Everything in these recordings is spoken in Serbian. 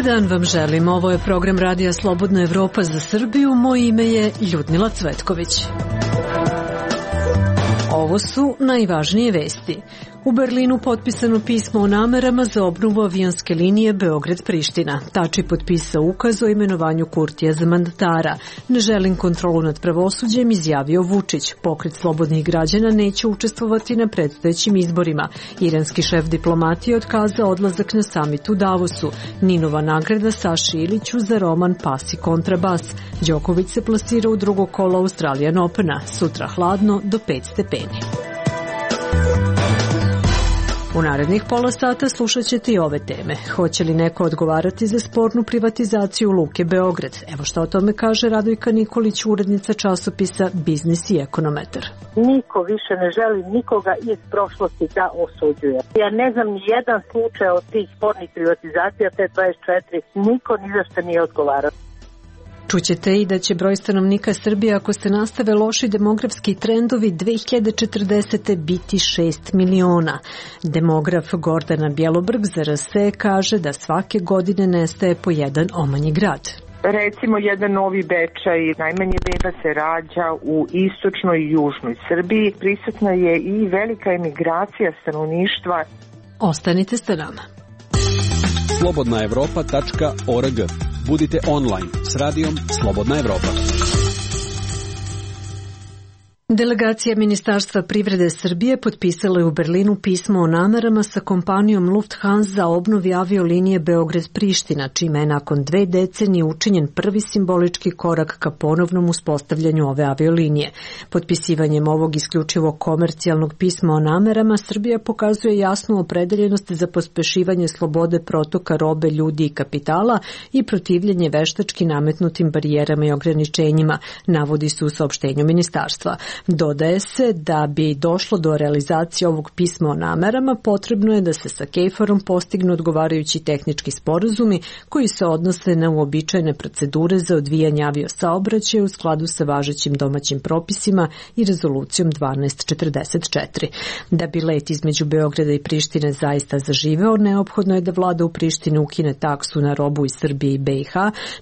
Dobar dan vam želim. Ovo je program Radija Slobodna Evropa za Srbiju. Moje ime je Ljudmila Cvetković. Ovo su najvažnije vesti. U Berlinu potpisano pismo o namerama za obnovu avionske linije Beograd-Priština. Tači potpisao ukaz o imenovanju Kurtija za mandatara. Ne želim kontrolu nad pravosuđem, izjavio Vučić. Pokret slobodnih građana neće učestvovati na predstojećim izborima. Iranski šef diplomatije otkazao odlazak na samit u Davosu. Ninova nagrada Saši Iliću za roman Pas i kontrabas. Đoković se plasira u drugo kolo Australian Opena. Sutra hladno do 5 stepeni. U narednih pola sata slušat ćete i ove teme. Hoće li neko odgovarati za spornu privatizaciju Luke Beograd? Evo što o tome kaže Radojka Nikolić, urednica časopisa Biznis i Ekonometar. Niko više ne želi nikoga iz prošlosti da osuđuje. Ja ne znam ni jedan slučaj od tih spornih privatizacija, te 24, niko ni za što nije odgovarao. Čućete i da će broj stanovnika Srbije, ako se nastave loši demografski trendovi, 2040. biti 6 miliona. Demograf Gordana Bjelobrg za RS kaže da svake godine nestaje po jedan omanji grad. Recimo jedan Novi Bečaj, najmanje beba se rađa u istočnoj i južnoj Srbiji. Prisutna je i velika emigracija stanovništva. Ostanite sa nama. Slobodnaevropa.org. Budite online s radijom Slobodna Evropa. Delegacija Ministarstva privrede Srbije potpisala je u Berlinu pismo o namerama sa kompanijom Lufthansa za obnovi aviolinije Beograd-Priština, čime je nakon 2 decenije učinjen prvi simbolički korak ka ponovnom uspostavljanju ove aviolinije. Potpisivanjem ovog isključivo komercijalnog pisma o namerama, Srbija pokazuje jasnu opredeljenost za pospešivanje slobode protoka robe, ljudi i kapitala i protivljenje veštački nametnutim barijerama i ograničenjima, navodi se u saopštenju ministarstva. Dodaje se da bi došlo do realizacije ovog pisma o namerama, potrebno je da se sa KFOR-om postignu odgovarajući tehnički sporazumi koji se odnose na uobičajene procedure za odvijanje aviosaobraćaja u skladu sa važećim domaćim propisima i rezolucijom 1244. Da bi let između Beograda i Prištine zaista zaživeo, neophodno je da vlada u Prištini ukine taksu na robu iz Srbije i BiH,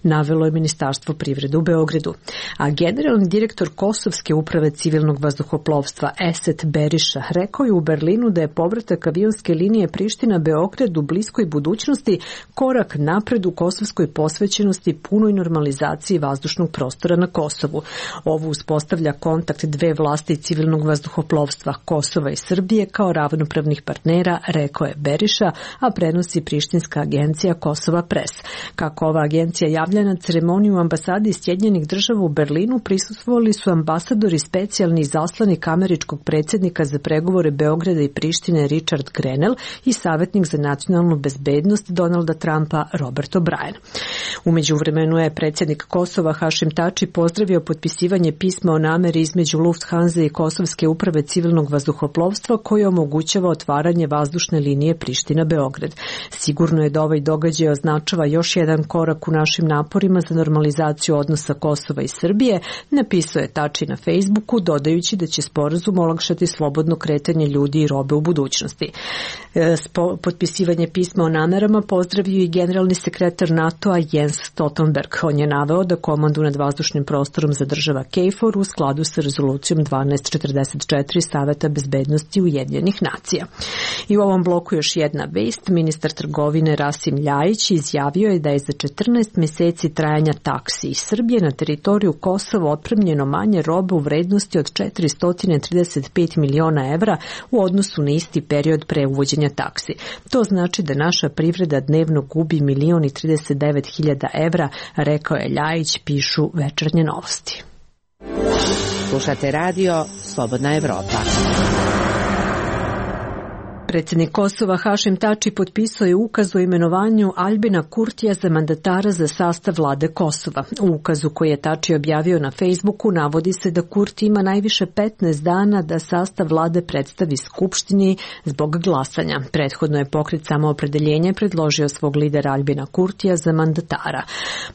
navelo je Ministarstvo privrede u Beogradu. A generalni direktor Kosovske uprave civilnog vazduhoplovstva Eset Beriša rekao je u Berlinu da je povratak avionske linije Priština-Beograd u bliskoj budućnosti korak napred u kosovskoj posvećenosti punoj normalizaciji vazdušnog prostora na Kosovu. Ovo uspostavlja kontakt dve vlasti civilnog vazduhoplovstva Kosova i Srbije kao ravnopravnih partnera, rekao je Beriša, a prenosi prištinska agencija Kosova Press. Kako ova agencija javlja, na ceremoniju ambasade Sjedinjenih Država u Berlinu prisustvovali su ambasadori specijalni izaslanik američkog predsjednika za pregovore Beograda i Prištine Richard Grenell i savjetnik za nacionalnu bezbednost Donalda Trumpa Robert O'Brien. U međuvremenu je predsjednik Kosova Hašim Tači pozdravio potpisivanje pisma o nameri između Lufthansa i Kosovske uprave civilnog vazduhoplovstva koje omogućava otvaranje vazdušne linije Priština-Beograd. Sigurno je da ovaj događaj označava još jedan korak u našim naporima za normalizaciju odnosa Kosova i Srbije, napisao je Tači na Facebooku, dodajući da će sporazum olakšati slobodno kretanje ljudi i robe u budućnosti. Potpisivanje pisma o namerama pozdravio i generalni sekretar NATO-a Jens Stoltenberg. On je naveo da komandu nad vazdušnim prostorom zadržava KFOR u skladu sa rezolucijom 1244 Saveta bezbednosti Ujedinjenih nacija. I u ovom bloku još jedna vest. Ministar trgovine Rasim Ljajić izjavio je da je za 14 meseci trajanja taksi iz Srbije na teritoriju Kosova otpremljeno manje robe u vrednosti od 435 miliona evra u odnosu na isti period pre uvođenja taksi. To znači da naša privreda dnevno gubi 1.039.000 evra, rekao je Ljajić, pišu Večernje novosti. Slušate radio Slobodna Evropa. Predsjednik Kosova Hašim Tači potpisao je ukaz o imenovanju Aljbina Kurtija za mandatara za sastav vlade Kosova. U ukazu koji je Tači objavio na Facebooku navodi se da Kurti ima najviše 15 dana da sastav vlade predstavi Skupštini zbog glasanja. Prethodno je Pokret Samoopredeljenje predložio svog lidera Aljbina Kurtija za mandatara.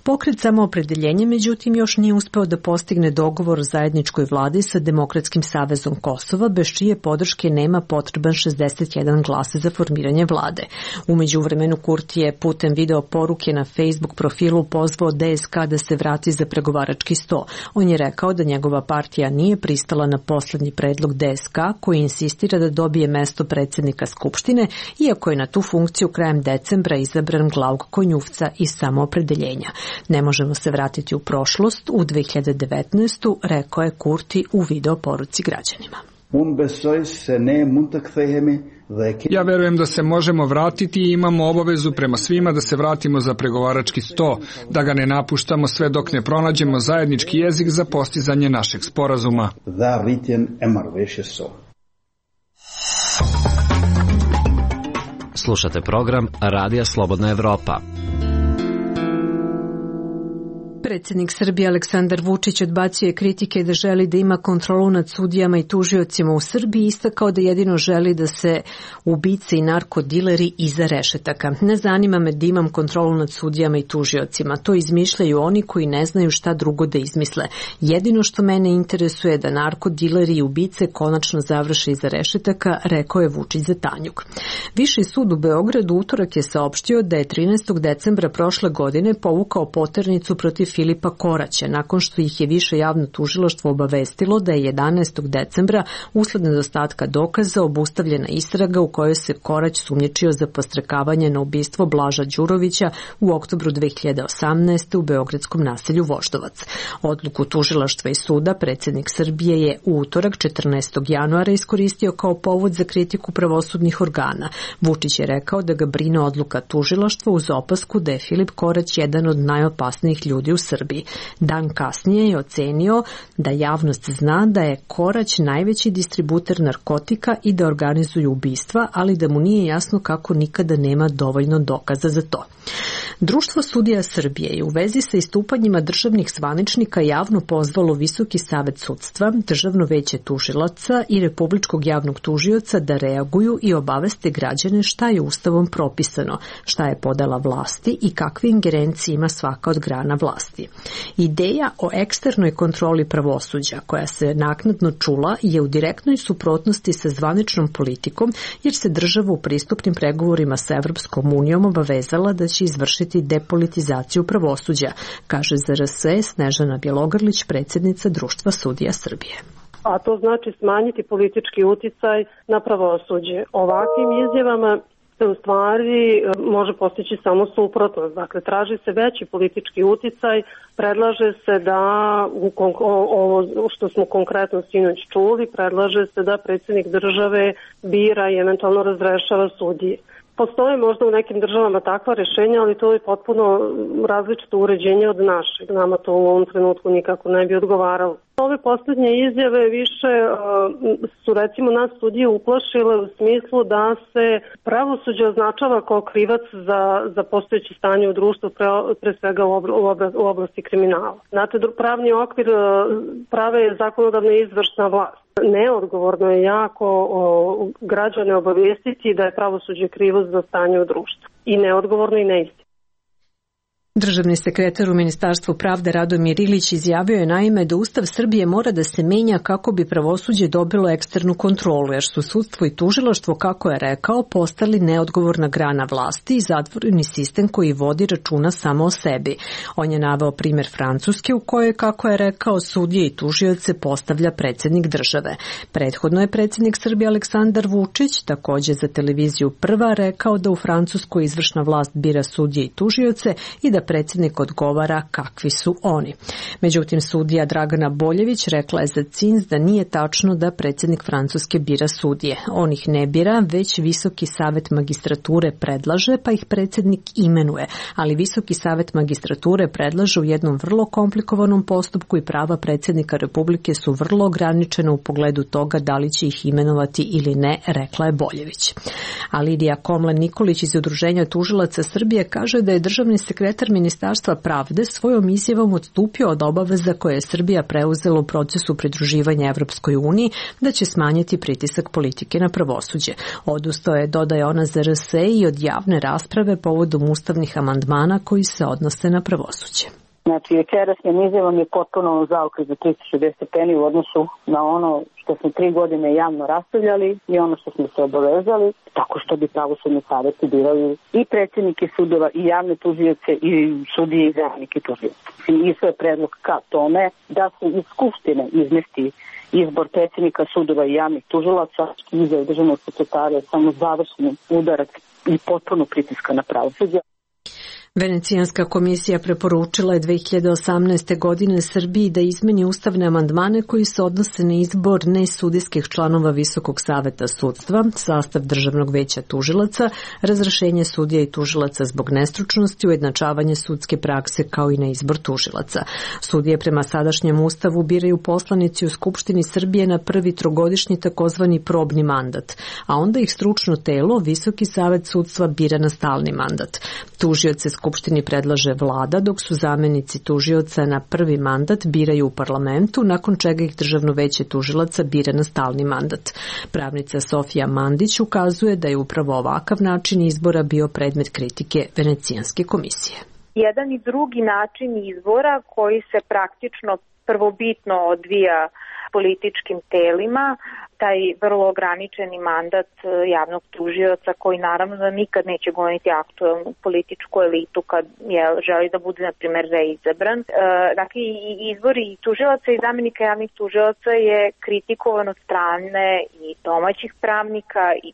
Pokret Samoopredeljenje međutim još nije uspeo da postigne dogovor o zajedničkoj vladi sa Demokratskim savezom Kosova, bez čije podrške nema potreban 61 jedan glas za formiranje vlade. U međuvremenu Kurti je putem video poruke na Facebook profilu pozvao DSK da se vrati za pregovarački sto. On je rekao da njegova partija nije pristala na poslednji predlog DSK koji insistira da dobije mesto predsjednika Skupštine, iako je na tu funkciju krajem decembra izabran Glauk Konjufca iz Samoopredeljenja. Ne možemo se vratiti u prošlost, u 2019. rekao je Kurti u video poruci građanima. Ja verujem da se možemo vratiti i imamo obavezu prema svima da se vratimo za pregovarački sto, da ga ne napuštamo sve dok ne pronađemo zajednički jezik za postizanje našeg sporazuma. Slušate program Radija Slobodna Evropa. Predsjednik Srbije Aleksandar Vučić odbacio je kritike da želi da ima kontrolu nad sudijama i tužiocima u Srbiji i istakao da jedino želi da se ubice i narkodileri iza rešetaka. Ne zanima me da imam kontrolu nad sudijama i tužiocima. To izmišljaju oni koji ne znaju šta drugo da izmisle. Jedino što mene interesuje je da narkodileri i ubice konačno završe iza rešetaka, rekao je Vučić za Tanjug. Viši sud u Beogradu utorak je saopštio da je 13. decembra prošle godine povukao poternicu protiv Filipa Koraća, nakon što ih je više javno tužilaštvo obavestilo da je 11. decembra usled nedostatka dokaza obustavljena istraga u kojoj se Korać sumnjičio za podstrekavanje na ubistvo Blaža Đurovića u oktobru 2018. u beogradskom naselju Voždovac. Odluku tužilaštva i suda predsjednik Srbije je u utorak 14. januara iskoristio kao povod za kritiku pravosudnih organa. Vučić je rekao da ga brine odluka tužilaštva uz opasku da je Filip Korać jedan od najopasnijih ljudi u Srbiji. Dan kasnije je ocenio da javnost zna da je Korać najveći distributer narkotika i da organizuju ubistva, ali da mu nije jasno kako nikada nema dovoljno dokaza za to. Društvo sudija Srbije je u vezi sa istupanjima državnih zvaničnika javno pozvalo Visoki savet sudstva, Državno veće tužilaca i Republičkog javnog tužioca da reaguju i obaveste građane šta je Ustavom propisano, šta je podela vlasti i kakve ingerencije ima svaka od grana vlasti. Ideja o eksternoj kontroli pravosuđa, koja se naknadno čula, je u direktnoj suprotnosti sa zvaničnom politikom, jer se država u pristupnim pregovorima sa Evropskom unijom obavezala da će izvršiti depolitizaciju pravosuđa, kaže za RS Snežana Bjelogrlić, predsjednica Društva sudija Srbije. A to znači smanjiti politički uticaj na pravosuđe. Ovakvim izjavama se u stvari može postići samo suprotnost. Dakle, traži se veći politički uticaj, predlaže se da, ovo što smo konkretno sinoć čuli, predlaže se da predsjednik države bira i eventualno razrešava sudije. Postoje možda u nekim državama takva rješenja, ali to je potpuno različito uređenje od našeg. Nama to u ovom trenutku nikako ne bi odgovaralo. Ove posljednje izjave više su recimo nas sudije uplašile u smislu da se pravosuđe označava kao krivac za postojeće stanje u društvu, pre svega u oblasti kriminala. Znate, pravni okvir prave je zakonodavna i izvršna vlast. Neodgovorno je jako građane obavijestiti da je pravosuđe krivo za stanje u društvu. I neodgovorno i neistinito. Državni sekretar u Ministarstvu pravde Radomir Ilić izjavio je naime da Ustav Srbije mora da se menja kako bi pravosuđe dobilo eksternu kontrolu, jer su sudstvo i tužilaštvo, kako je rekao, postali neodgovorna grana vlasti i zatvoreni sistem koji vodi računa samo o sebi. On je naveo primjer Francuske u kojoj, kako je rekao, sudije i tužioce postavlja predsjednik države. Prethodno je predsjednik Srbije Aleksandar Vučić također za televiziju Prva rekao da u Francuskoj izvršna vlast bira sudije i tužioce i da predsjednik odgovara kakvi su oni. Međutim, sudija Dragana Boljević rekla je za CINS da nije tačno da predsjednik Francuske bira sudije. On ih ne bira, već Visoki savet magistrature predlaže, pa ih predsjednik imenuje. Ali Visoki savet magistrature predlaže u jednom vrlo komplikovanom postupku i prava predsjednika Republike su vrlo ograničena u pogledu toga da li će ih imenovati ili ne, rekla je Boljević. A Lidija Komlen Nikolić iz Udruženja tužilaca Srbije kaže da je državni sekretar Ministarstva pravde svojom izjavom odstupio od obaveza koje je Srbija preuzela u procesu pridruživanja Evropskoj uniji, da će smanjiti pritisak politike na pravosuđe. Odustao je, dodaje ona za RS, i od javne rasprave povodom ustavnih amandmana koji se odnose na pravosuđe. Znači, večerašnjim izjavom je potpuno zaokret za 360 stepeni u odnosu na ono što smo 3 godine javno raspravljali i ono što smo se obavezali, tako što bi pravosudni saveti birali i predsjednike sudova i javne tužioce i sudije i zamenike tužioca. I sve je predlog ka tome da se iz Skupštine izmesti izbor predsjednika sudova i javnih tužilaca i izjava državnog sekretara je samo završni udarac i potpuno pritiska na pravosuđe. Venecijanska komisija preporučila je 2018. godine Srbiji da izmeni ustavne amandmane koji se odnose na izbor nesudijskih članova Visokog saveta sudstva, sastav Državnog veća tužilaca, razrešenje sudija i tužilaca zbog nestručnosti, ujednačavanje sudske prakse kao i na izbor tužilaca. Sudije prema sadašnjem ustavu biraju poslanici u Skupštini Srbije na prvi trogodišnji takozvani probni mandat, a onda ih stručno telo, Visoki savet sudstva, bira na stalni mandat. Tužioce Skupštini predlaže vlada, dok su zamenici tužioca na prvi mandat biraju u parlamentu, nakon čega ih Državno veće tužilaca bira na stalni mandat. Pravnica Sofija Mandić ukazuje da je upravo ovakav način izbora bio predmet kritike Venecijanske komisije. Jedan i drugi način izbora koji se praktično prvobitno odvija političkim telima, taj vrlo ograničeni mandat javnog tužioca koji naravno da nikad neće goniti aktuelnu političku elitu kad želi da bude, na primjer, reizabran. Dakle, i izbor i tužilaca i zamenika javnih tužilaca je kritikovan od strane i domaćih pravnika i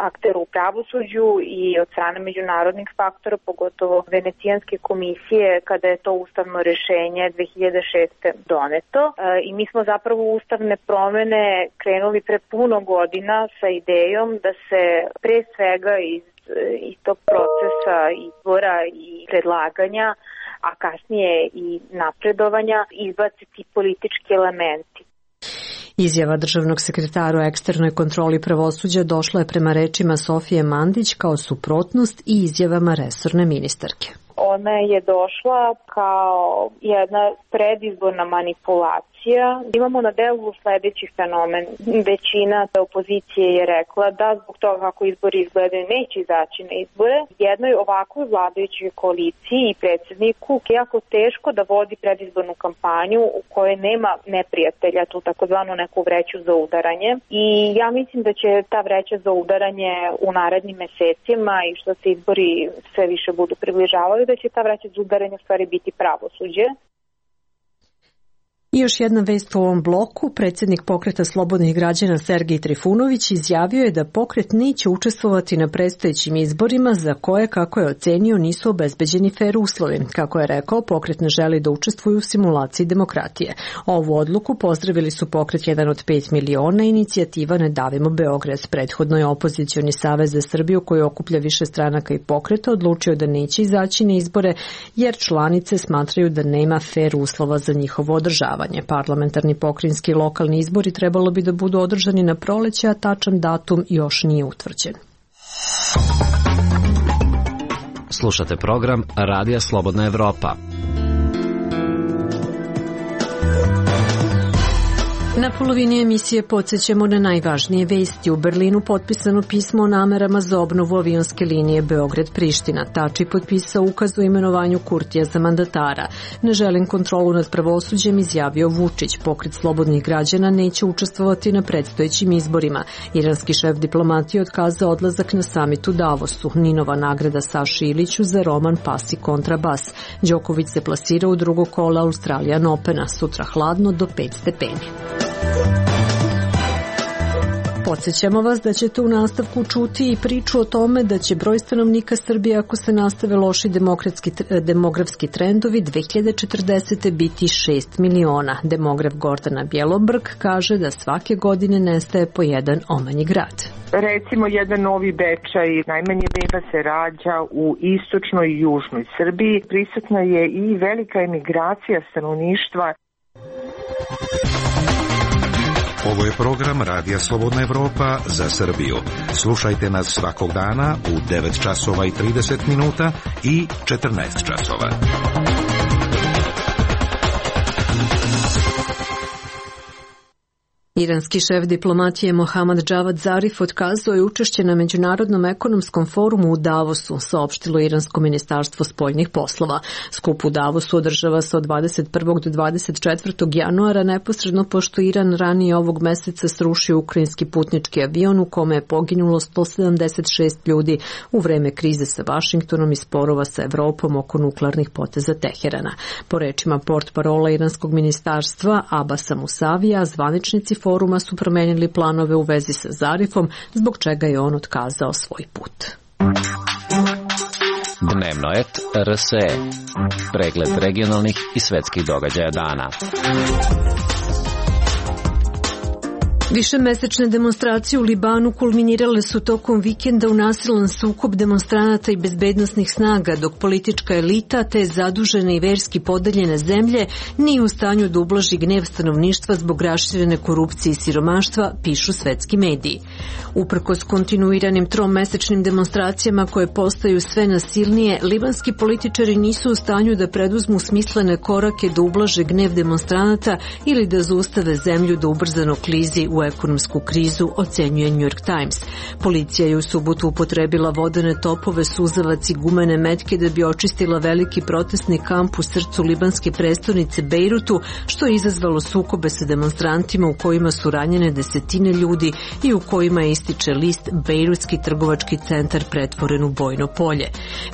aktera u pravosuđu i od strane međunarodnih faktora, pogotovo Venecijanske komisije, kada je to ustavno rešenje 2006. doneto. I mi smo zapravo ustavne promene krenuli pre puno godina sa idejom da se pre svega iz tog procesa izbora i predlaganja, a kasnije i napredovanja, izbace ti politički elementi. Izjava državnog sekretara o eksternoj kontroli pravosuđa došla je prema rečima Sofije Mandić kao suprotnost i izjavama resorne ministarke. Ona je došla kao jedna predizborna manipulacija. Imamo na delu sledeći fenomen. Većina opozicije je rekla da zbog toga kako izbori izgledaju neće izaći na izbore. Jednoj ovakvoj vladajućoj koaliciji i predsjedniku je jako teško da vodi predizbornu kampanju u kojoj nema neprijatelja, tu takozvanu neku vreću za udaranje. I ja mislim da će ta vreća za udaranje u narednim mesecima i što se izbori sve više budu približavali, da će ta vreća za udaranje u stvari biti pravosuđe. I još jedna vest u ovom bloku. Predsjednik Pokreta slobodnih građana Sergej Trifunović izjavio je da pokret neće učestvovati na predstojećim izborima za koje, kako je ocenio, nisu obezbeđeni fer uslovi. Kako je rekao, pokret ne želi da učestvuje u simulaciji demokratije. Ovu odluku pozdravili su Pokret 1 od 5 miliona i inicijativa Ne davimo Beograd. Prethodno je opozicioni savez za Srbiju, koji okuplja više stranaka i pokreta, odlučio da neće izaći na izbore jer članice smatraju da nema fer uslova za njihovo održavanje. Parlamentarni, pokrajinski i lokalni izbori trebalo bi da budu održani na proleće, a tačan datum još nije utvrđen. Slušate program Radija Slobodna Evropa. Na polovini emisije podsjećamo na najvažnije vesti. U Berlinu potpisano pismo o namerama za obnovu avionske linije Beograd-Priština. Tači potpisao ukaz o imenovanju Kurtija za mandatara. Ne želim kontrolu nad pravosuđem, izjavio Vučić. Pokret slobodnih građana neće učestvovati na predstojećim izborima. Iranski šef diplomatije otkazao odlazak na samit u Davosu. Ninova nagrada Saši Iliću za roman Pas i kontrabas. Đoković se plasira u drugo kola Australian Opena. Sutra hladno do 5 stepeni. Podsjećamo vas da ćete u nastavku čuti i priču o tome da će broj stanovnika Srbije, ako se nastave loši demografski trendovi, 2040. biti 6 miliona. Demograf Gordana Bjelobrg kaže da svake godine nestaje po jedan omanji grad. Recimo, jedan Novi Bečaj, najmanje beba se rađa u istočnoj i južnoj Srbiji. Prisutna je i velika emigracija stanovništva. Ovo je program Radija Slobodna Evropa za Srbiju. Slušajte nas svakog dana u 9 časova i 30 minuta i 14 časova. Iranski šef diplomatije Mohammad Javad Zarif otkazao je učešće na Međunarodnom ekonomskom forumu u Davosu, saopštilo Iransko ministarstvo spoljnih poslova. Skup u Davosu održava se od 21. do 24. januara, neposredno pošto Iran ranije ovog meseca srušio ukrajinski putnički avion u kome je poginulo 176 ljudi u vreme krize sa Vašingtonom i sporova sa Evropom oko nuklearnih poteza Teherana. Po rečima portparola Iranskog ministarstva Abasa Musavija, zvaničnici foruma su promenili planove u vezi sa Zarifom, zbog čega je on otkazao svoj put. Dnevno et RSE. Pregled regionalnih i svetskih događaja dana. Višemesečne demonstracije u Libanu kulminirale su tokom vikenda u nasilan sukob demonstranata i bezbednosnih snaga, dok politička elita te zadužene i verski podeljene zemlje nije u stanju da ublaži gnev stanovništva zbog raširene korupcije i siromaštva, pišu svetski mediji. Uprkos kontinuiranim tromesečnim demonstracijama koje postaju sve nasilnije, libanski političari nisu u stanju da preduzmu smislene korake da ublaže gnev demonstranata ili da zaustave zemlju da ubrzano klizi u ekonomsku krizu, ocenjuje New York Times. Policija je u subotu upotrebila vodene topove, suzavac i gumene metke da bi očistila veliki protestni kamp u srcu libanske prestonice Bejrutu, što je izazvalo sukobe sa demonstrantima u kojima su ranjene desetine ljudi i u kojima ističe list Bejrutski trgovački centar pretvoren u bojno polje.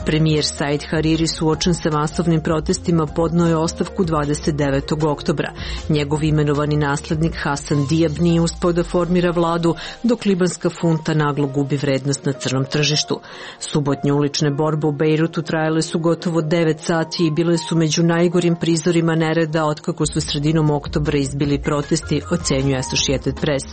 Premijer Said Hariri, suočen sa masovnim protestima, podneo je ostavku 29. oktobra. Njegov imenovani naslednik Hasan Diab nije uspeo da formira vladu, dok libanska funta naglo gubi vrednost na crnom tržištu. Subotnje ulične borbe u Bejrutu trajale su gotovo 9 sati i bile su među najgorim prizorima nereda otkako su sredinom oktobra izbili protesti, ocenjuje Associated Press.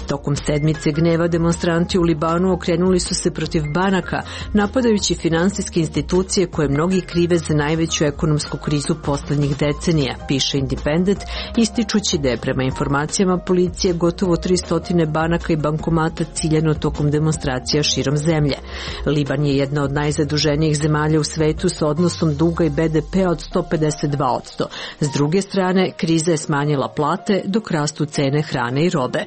Tokom sedmice gneva demonstranti u Libanu okrenuli su se protiv banaka, napadajući finansijske institucije koje mnogi krive za najveću ekonomsku krizu poslednjih decenija, piše Independent, ističući da je prema informacijama policije gotovo 300 banaka i bankomata ciljano tokom demonstracija širom zemlje. Liban je jedna od najzaduženijih zemalja u svetu sa odnosom duga i BDP-a od 152%. S druge strane, kriza je smanjila plate dok rastu cene hrane i robe.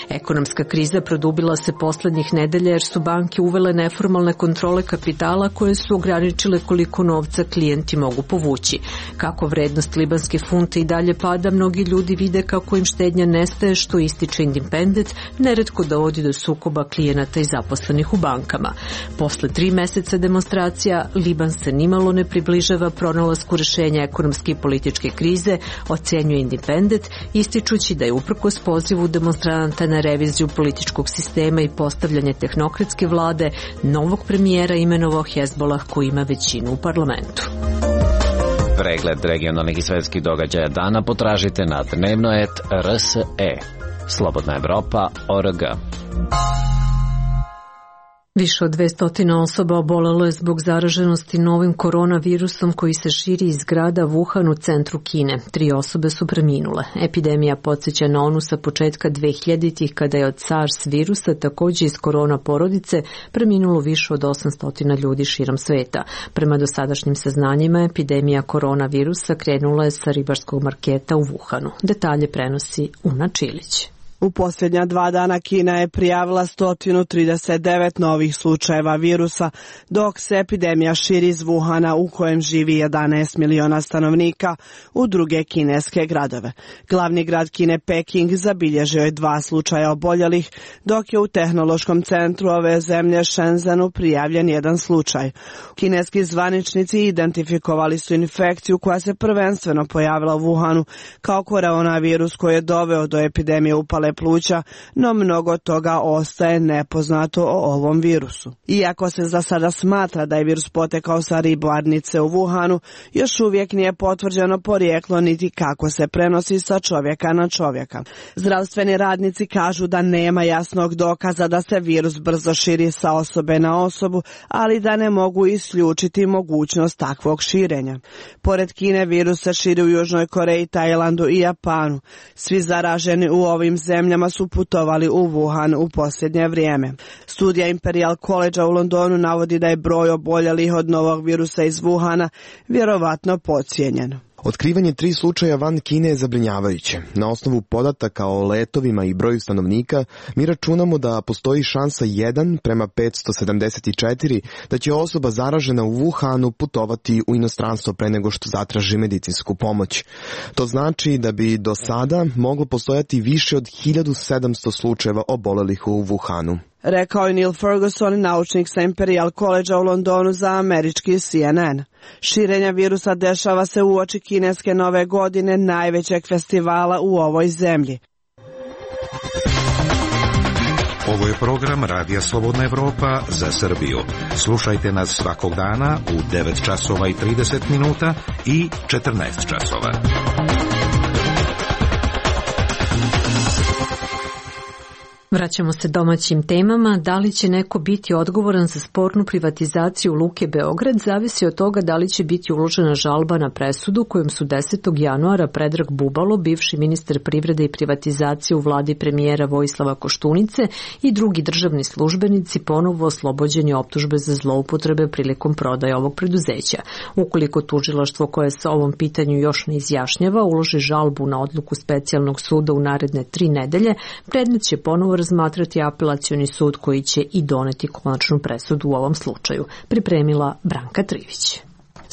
Ekonomska kriza produbila se poslednjih nedelja jer su banke uvele neformalne kontrole kapitala koje su ograničile koliko novca klijenti mogu povući. Kako vrednost libanske funte i dalje pada, mnogi ljudi vide kako im štednja nestaje, što ističe Independent, neretko dovodi do sukoba klijenata i zaposlenih u bankama. Posle 3 meseca demonstracija, Liban se nimalo ne približava pronalasku rešenja ekonomske i političke krize, ocenjuje Independent, ističući da je uprkos pozivu demonstranata na reviziju političkog sistema i postavljanje tehnokratske vlade, novog premijera imenovao Hezbollah koji ima većinu u parlamentu. Pregled regionalnih i svetskih događaja dana potražite na dnevno.rt.rse. Slobodna Evropa.org. Više od 200 osoba obolelo je zbog zaraženosti novim koronavirusom koji se širi iz grada Wuhan u centru Kine. 3 osobe su preminule. Epidemija podsjeća na onu sa početka 2000-ih kada je od SARS virusa, također iz korona porodice, preminulo više od 800 ljudi širom sveta. Prema dosadašnjim saznanjima, epidemija koronavirusa krenula je sa ribarskog marketa u Wuhanu. Detalje prenosi Una Čilić. U posljednja 2 dana Kina je prijavila 139 novih slučajeva virusa, dok se epidemija širi iz Wuhana u kojem živi 11 miliona stanovnika u druge kineske gradove. Glavni grad Kine, Peking, zabilježio je 2 slučaja oboljelih, dok je u tehnološkom centru ove zemlje Shenzhenu prijavljen 1 slučaj. Kineski zvaničnici identifikovali su infekciju koja se prvenstveno pojavila u Wuhanu kao koronavirus koji je doveo do epidemije upale pluća, no mnogo toga ostaje nepoznato o ovom virusu. Iako se za sada smatra da je virus potekao sa ribarnice u Wuhanu, još uvijek nije potvrđeno porijeklo niti kako se prenosi sa čovjeka na čovjeka. Zdravstveni radnici kažu da nema jasnog dokaza da se virus brzo širi sa osobe na osobu, ali da ne mogu isključiti mogućnost takvog širenja. Pored Kine, virus se širi u Južnoj Koreji, Tajlandu i Japanu. Svi zaraženi u ovim zemljama su putovali u Wuhan u posljednje vrijeme. Studija Imperial College u Londonu navodi da je broj oboljelih od novog virusa iz Wuhana vjerovatno podcijenjen. Otkrivanje 3 slučaja van Kine je zabrinjavajuće. Na osnovu podataka o letovima i broju stanovnika, mi računamo da postoji šansa 1 prema 574 da će osoba zaražena u Wuhanu putovati u inostranstvo pre nego što zatraži medicinsku pomoć. To znači da bi do sada moglo postojati više od 1700 slučajeva obolelih u Wuhanu. Rekao je Neil Ferguson, naučnik sa Imperial College u Londonu za američki CNN. Širenja virusa dešava se uoči kineske nove godine, najvećeg festivala u ovoj zemlji. Ovo je program Radija Slobodna Evropa za Srbiju. Slušajte nas svakog dana u 9 časova i 30 minuta i 14 časova. Vraćamo se domaćim temama. Da li će neko biti odgovoran za spornu privatizaciju Luke Beograd zavisi od toga da li će biti uložena žalba na presudu kojom su 10. januara Predrag Bubalo, bivši ministar privrede i privatizacije u vladi premijera Vojislava Koštunice i drugi državni službenici ponovo oslobođeni optužbe za zloupotrebe prilikom prodaje ovog preduzeća. Ukoliko tužilaštvo koje se ovom pitanju još ne izjašnjava uloži žalbu na odluku specijalnog suda u naredne 3 nedelje, predmet će ponovo razmatrati apelacioni sud koji će i doneti konačnu presudu u ovom slučaju. Pripremila Branka Trivić.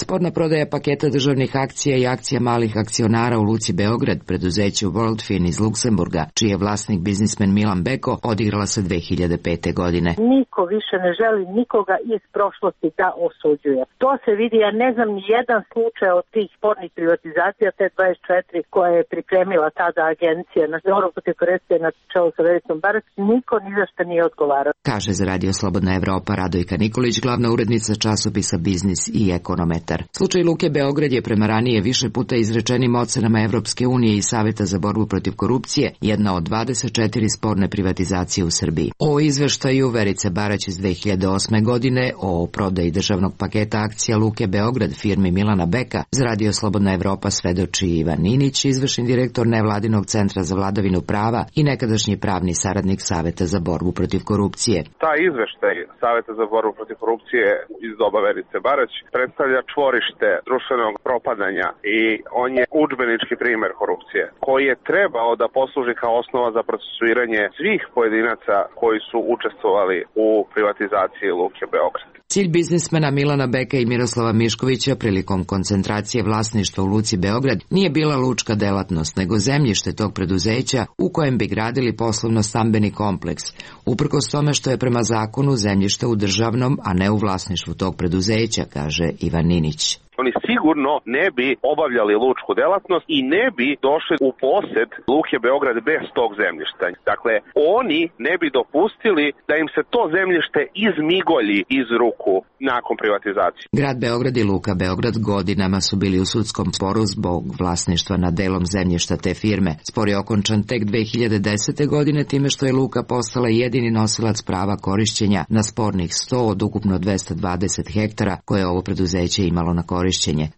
Sporna prodaja paketa državnih akcija i akcija malih akcionara u Luci Beograd, preduzeću Worldfin iz Luksemburga, čiji je vlasnik biznismen Milan Beko, odigrala se 2005. godine. Niko više ne želi nikoga iz prošlosti da osuđuje. To se vidi, ja ne znam ni jedan slučaj od tih spornih privatizacija, te 24 koje je pripremila tada agencija na borbu protiv korupcije na čelu sa Vericom Barać, niko ni za šta nije odgovarao. Kaže za Radio Slobodna Evropa Radojka Nikolić, glavna urednica časopisa Biznis i Ekonomet. Slučaj Luke Beograd je prema ranije više puta izrečenim ocenama Evropske unije i Saveta za borbu protiv korupcije jedna od 24 sporne privatizacije u Srbiji. O izveštaju Verice Barać iz 2008. godine o prodaji državnog paketa akcija Luke Beograd firmi Milana Beka za Radio Slobodna Evropa svedoči Ivan Ninić, izvršni direktor nevladinog centra za vladavinu prava i nekadašnji pravni saradnik Saveta za borbu protiv korupcije. Taj izveštaj Saveta za borbu protiv korupcije iz doba Verice Barać predstavlja čvorište društvenog propadanja i on je udžbenički primer korupcije koji je trebao da posluži kao osnova za procesuiranje svih pojedinaca koji su učestvovali u privatizaciji Luke Beograd. Cilj biznismena Milana Beka i Miroslava Miškovića prilikom koncentracije vlasništva u Luci Beograd nije bila lučka delatnost, nego zemljište tog preduzeća u kojem bi gradili poslovno-stambeni kompleks, uprkos tome što je prema zakonu zemljište u državnom, a ne u vlasništvu tog preduzeća, kaže Ivan Ninić. Oni sigurno ne bi obavljali lučku delatnost i ne bi došli u posed Luke Beograd bez tog zemljišta. Dakle, oni ne bi dopustili da im se to zemljište izmigolji iz ruku nakon privatizacije. Grad Beograd i Luka Beograd godinama su bili u sudskom sporu zbog vlasništva nad delom zemljišta te firme. Spor je okončan tek 2010. godine time što je Luka postala jedini nosilac prava korišćenja na spornih 100 od ukupno 220 hektara koje je ovo preduzeće imalo na korišćenje.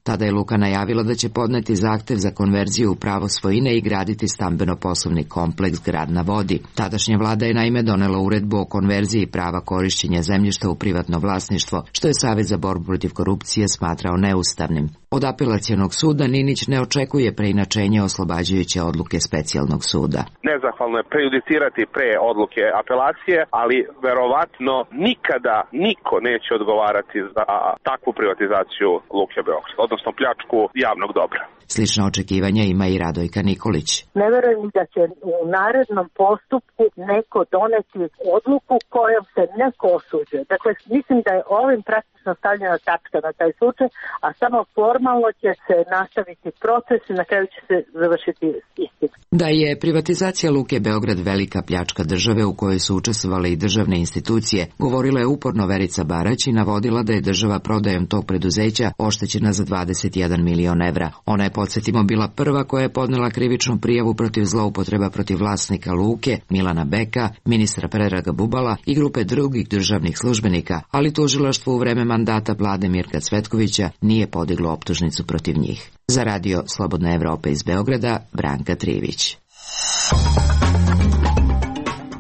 Tada je Luka najavila da će podneti zahtev za konverziju u pravo svojine i graditi stambeno-poslovni kompleks Grad na vodi. Tadašnja vlada je naime donela uredbu o konverziji prava korišćenja zemljišta u privatno vlasništvo, što je Savet za borbu protiv korupcije smatrao neustavnim. Od apelacionog suda Ninić ne očekuje preinačenje oslobađajuće odluke specijalnog suda. Nezahvalno je prejudicirati pre odluke apelacije, ali verovatno nikada niko neće odgovarati za takvu privatizaciju Luke Beograd, odnosno pljačku javnog dobra. Slična očekivanja ima i Radojka Nikolić. Ne verujem da će u narednom postupku neko doneti odluku kojom se neko osuđuje. Dakle, mislim da je ovim praktično stavljena tačka na taj slučaj, a samo formalno će se nastaviti proces i na kraju će se završiti istina. Da je privatizacija Luke Beograd velika pljačka države u kojoj su učestvovale i državne institucije, govorila je uporno Verica Barać i navodila da je država prodajom tog preduzeća oštećena za 21 milion evra. Ona je, podsjetimo, bila prva koja je podnela krivičnu prijavu protiv zloupotreba protiv vlasnika Luke, Milana Beka, ministra Predraga Bubala i grupe drugih državnih službenika, ali tužilaštvo u vreme mandata vlade Mirka Cvetkovića nije podiglo optužnicu protiv njih. Za Radio Slobodna Evropa iz Beograda, Branka Trivić.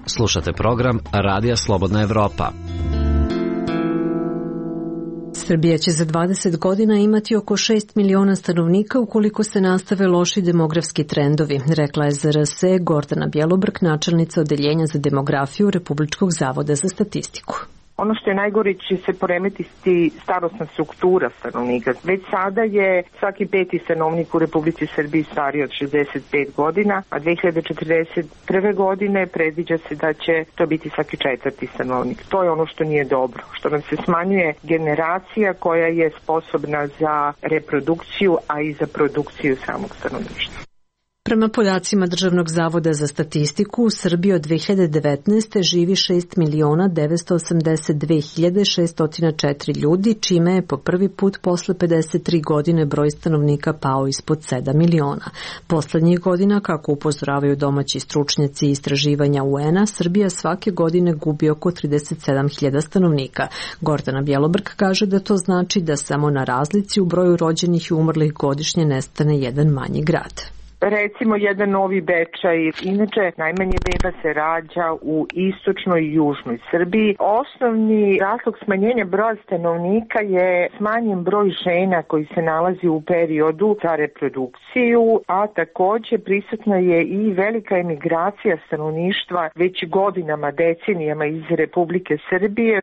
Slušate program Radija Slobodna Evropa. Srbija će za 20 godina imati oko 6 miliona stanovnika ukoliko se nastave loši demografski trendovi, rekla je za RSE Gordana Bjelobrk, načelnica Odeljenja za demografiju Republičkog zavoda za statistiku. Ono što je najgore će se poremetiti starosna struktura stanovnika. Već sada je svaki peti stanovnik u Republici Srbiji stariji od 65 godina, a 2041. godine predviđa se da će to biti svaki četvrti stanovnik. To je ono što nije dobro, što nam se smanjuje generacija koja je sposobna za reprodukciju, a i za produkciju samog stanovništva. Prema podacima Državnog zavoda za statistiku, u Srbiji od 2019. živi 6.982.604 ljudi, čime je po prvi put posle 53 godine broj stanovnika pao ispod 7 miliona. Poslednjih godina, kako upozoravaju domaći stručnjaci i istraživanja UN-a, Srbija svake godine gubi oko 37.000 stanovnika. Gordana Bjelobrk kaže da to znači da samo na razlici u broju rođenih i umrlih godišnje nestane jedan manji grad. Recimo jedan Novi Bečaj, inače najmanje beba se rađa u istočnoj i južnoj Srbiji. Osnovni razlog smanjenja broja stanovnika je smanjen broj žena koji se nalazi u periodu za reprodukciju, a takođe prisutna je i velika emigracija stanovništva već godinama, decenijama iz Republike Srbije.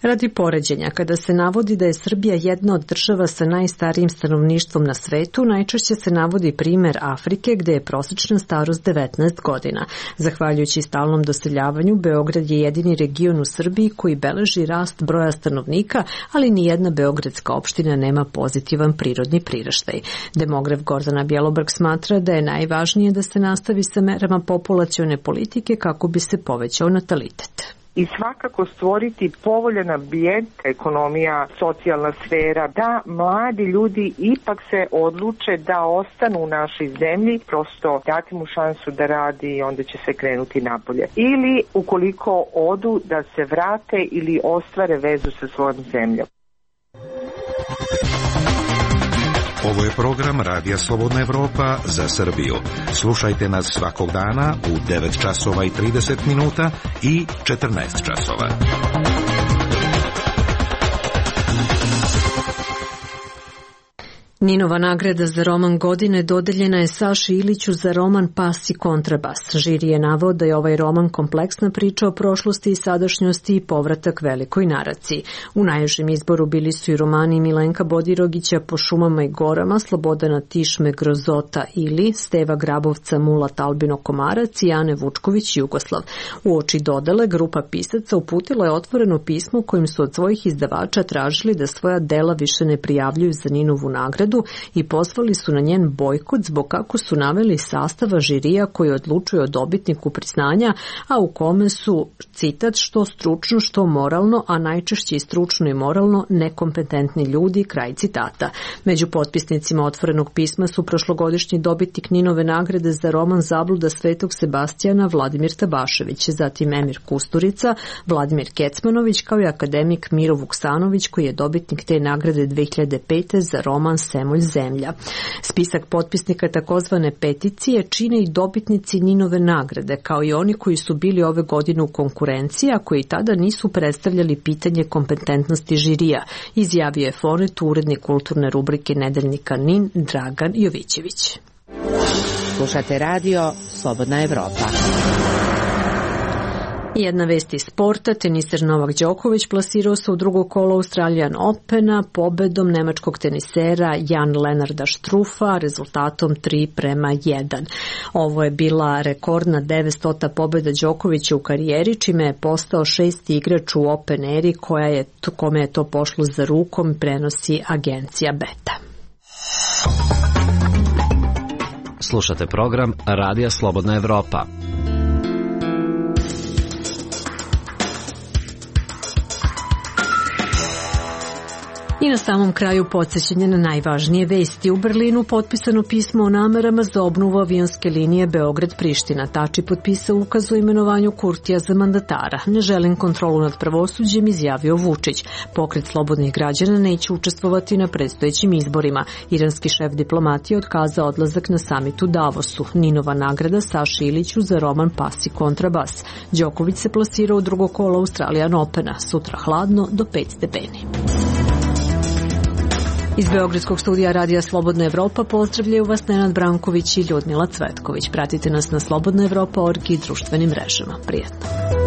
Radi poređenja, kada se navodi da je Srbija jedna od država sa najstarijim stanovništvom na svetu, najčešće se navodi primer Afrike gde je prosečna starost 19 godina. Zahvaljujući stalnom doseljavanju, Beograd je jedini region u Srbiji koji beleži rast broja stanovnika, ali ni jedna beogradska opština nema pozitivan prirodni priraštaj. Demograf Gordana Bjelobrk smatra da je najvažnije da se nastavi sa merama populacione politike kako bi se povećao natalitet. I svakako stvoriti povoljan ambijent, ekonomija, socijalna sfera, da mladi ljudi ipak se odluče da ostanu u našoj zemlji, prosto dati mu šansu da radi i onda će se krenuti napolje. Ili ukoliko odu da se vrate ili ostvare vezu sa svojom zemljom. Ovo je program Radija Slobodna Evropa za Srbiju. Slušajte nas svakog dana u 9 časova i 30 minuta i 14 časova. Ninova nagrada za roman godine dodeljena je Saši Iliću za roman Pas i kontrabas. Žiri je naveo da je ovaj roman kompleksna priča o prošlosti i sadašnjosti i povratak velikoj naraciji. U najužem izboru bili su i romani Milenka Bodirogića Po šumama i gorama, Slobodana Tišme Grozota Ili, Steva Grabovca Mulat Albino Komarac i Ane Vučković Jugoslav. Uoči dodele, grupa pisaca uputila je otvoreno pismo kojim su od svojih izdavača tražili da svoja dela više ne prijavljuju za Ninovu nagradu i pozvali su na njen bojkot zbog kako su naveli sastava žirija koji odlučuje o dobitniku priznanja, a u kome su, citat, što stručno, što moralno, a najčešće i stručno i moralno nekompetentni ljudi, kraj citata. Među potpisnicima otvorenog pisma su prošlogodišnji dobitnik Ninove nagrade za roman Zabluda Svetog Sebastijana Vladimir Tabašević, zatim Emir Kusturica, Vladimir Kecmanović kao i akademik Miro Vuksanović koji je dobitnik te nagrade 2005. za roman Semolj zemlja. Spisak potpisnika takozvane peticije čine i dobitnici Ninove nagrade, kao i oni koji su bili ove godine u konkurenciji, a koji tada nisu predstavljali pitanje kompetentnosti žirija, izjavio je Fonet, urednik kulturne rubrike nedeljnika NIN Dragan Jovićević. Slušate radio Slobodna Evropa. Jedna vest iz sporta, teniser Novak Đoković plasirao se u drugo kolo Australian Opena pobedom nemačkog tenisera Jan Lennarda Štrufa rezultatom 3:1. Ovo je bila rekordna 900. pobeda Đokovića u karijeri, čime je postao 6. igrač u Open eri kome je to pošlo za rukom, prenosi agencija Beta. Slušate program Radija Slobodna Evropa. I na samom kraju podsjećanje na najvažnije vesti. U Berlinu potpisano pismo o namerama za obnovu avionske linije Beograd-Priština. Tači potpisao ukaz o imenovanju Kurtija za mandatara. Ne želim kontrolu nad pravosuđem, izjavio Vučić. Pokret slobodnih građana neće učestvovati na predstojećim izborima. Iranski šef diplomatije otkazao odlazak na samit u Davosu. Ninova nagrada Saši Iliću za roman Pas i kontrabas. Đoković se plasirao u drugo kolo Australian Opena. Sutra hladno do 5 stepeni. Iz Beogradskog studija Radija Slobodna Evropa pozdravljaju vas Nenad Branković i Ljudmila Cvetković. Pratite nas na slobodnaevropa.org i društvenim mrežama. Prijetno.